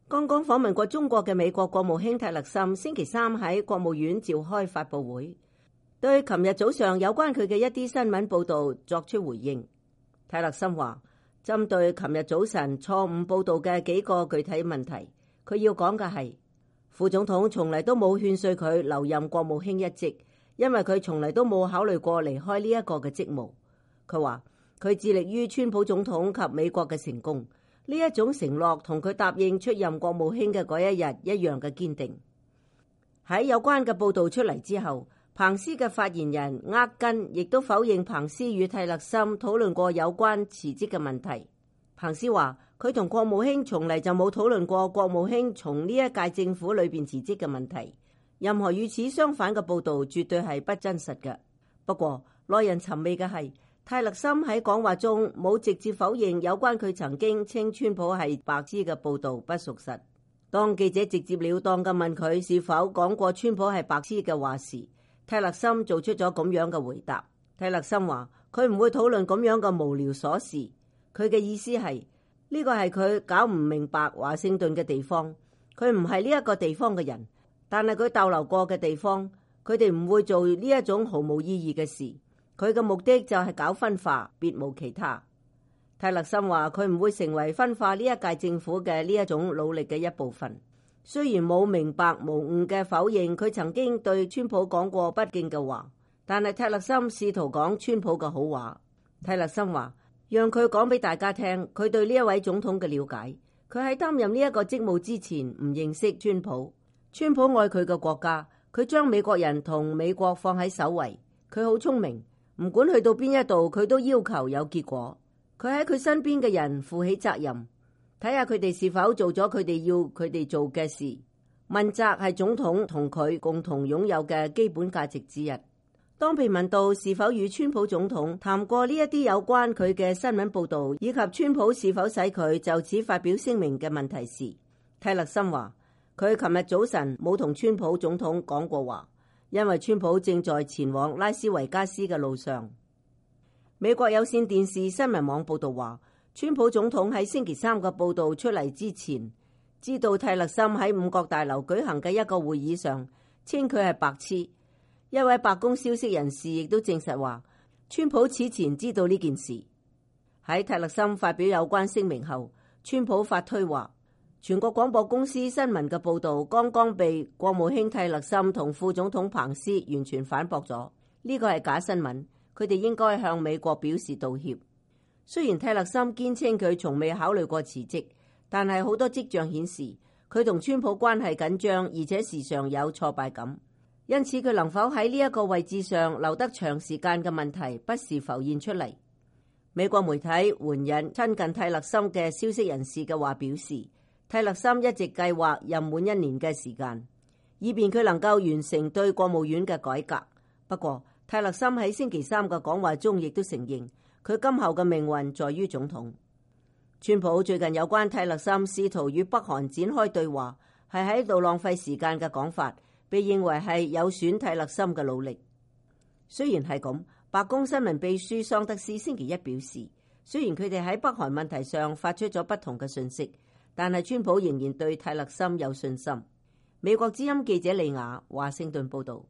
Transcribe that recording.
剛剛訪問過中國嘅美國國務卿泰勒森星期三喺國務院召開發佈會，對琴日早上有關佢嘅一啲新聞報導作出回應。泰勒森話，針對琴日早晨錯誤報導嘅幾個具體問題，佢要講嘅係副總統從嚟都冇勸說佢留任國務卿一職，因為佢從嚟都冇考慮過離開呢一個嘅職務。佢話佢致力於川普總統及美國嘅成功，呢一種承諾同佢答應出任國務卿嘅嗰一日一樣嘅堅定。喺有關嘅報導出嚟之後，彭斯嘅發言人厄根亦都否認彭斯與泰勒森討論過有關辭職嘅問題。彭斯話佢同國務卿從嚟就冇討論過國務卿從呢一屆政府裏邊辭職嘅問題，任何與此相反嘅報導絕對係不真實嘅。不過耐人尋味嘅係，泰勒森喺講話中冇直接否認有關佢曾經稱川普係白痴嘅報導不屬實。當記者直截了當嘅問佢是否講過川普係白痴嘅話時，泰勒森做出咗咁樣嘅回答。泰勒森話佢唔會討論咁樣嘅無聊瑣事，佢嘅意思係呢個係佢搞唔明白華盛頓嘅地方，佢唔係呢一個地方嘅人，但係佢逗留過嘅地方，佢哋唔會做呢一種毫無意義嘅事，佢嘅目的就係搞分化，別無其他。泰勒森話佢唔會成為分化呢一屆政府嘅呢一種努力嘅一部分。雖然冇明白無誤嘅否認佢曾經對川普講過不敬嘅話，但係泰勒森試圖講川普嘅好話。泰勒森話讓佢講俾大家聽佢對呢一位總統嘅了解。佢喺擔任呢一個職務之前唔認識川普。川普愛佢嘅國家，佢將美國人同美國放喺首位。佢好聰明，唔管去到邊一度佢都要求有結果。佢喺佢身邊嘅人負起責任，睇下佢哋是否做咗佢哋要佢哋做嘅事。問責係總統同佢共同擁有嘅基本價值之一。當被問到是否與川普總統談過呢一啲有關佢嘅新聞報導，以及川普是否使佢就此發表聲明嘅問題時，泰勒森話佢琴日早晨冇同川普總統講過話，因為川普正在前往拉斯維加斯嘅路上。美國有線電視新聞網報導話，川普總統喺星期三嘅報導出嚟之前，知道泰勒森喺五角大樓舉行嘅一個會議上稱佢係白痴。一位白宮消息人士亦都證實話，川普此前知道呢件事。喺泰勒森發表有關聲明後，川普發推話，全國廣播公司新聞嘅報導剛剛被國務卿泰勒森同副總統彭斯完全反駁咗，呢個係假新聞，佢哋應該向美國表示道歉。雖然泰勒森堅稱佢從未考慮過辭職，但係好多跡象顯示佢同川普關係緊張，而且時常有挫敗感，因此佢能否喺呢一個位置上留得長時間嘅問題不時浮現出嚟。美國媒體援引親近泰勒森嘅消息人士嘅話表示，泰勒森一直計劃任滿1年嘅時間，以便佢能夠完成對國務院嘅改革。不過泰勒森喺星期三嘅講話中亦都承認佢今後嘅命運在於總統。川普最近有關泰勒森試圖與北韓展開對話係喺度浪費時間嘅講法，被認為係有損泰勒森嘅努力。雖然係咁，白宮新聞秘書桑德斯星期一表示，雖然佢哋喺北韓問題上發出咗不同嘅訊息，但係川普仍然對泰勒森有信心。美國之音記者李雅華盛頓報道。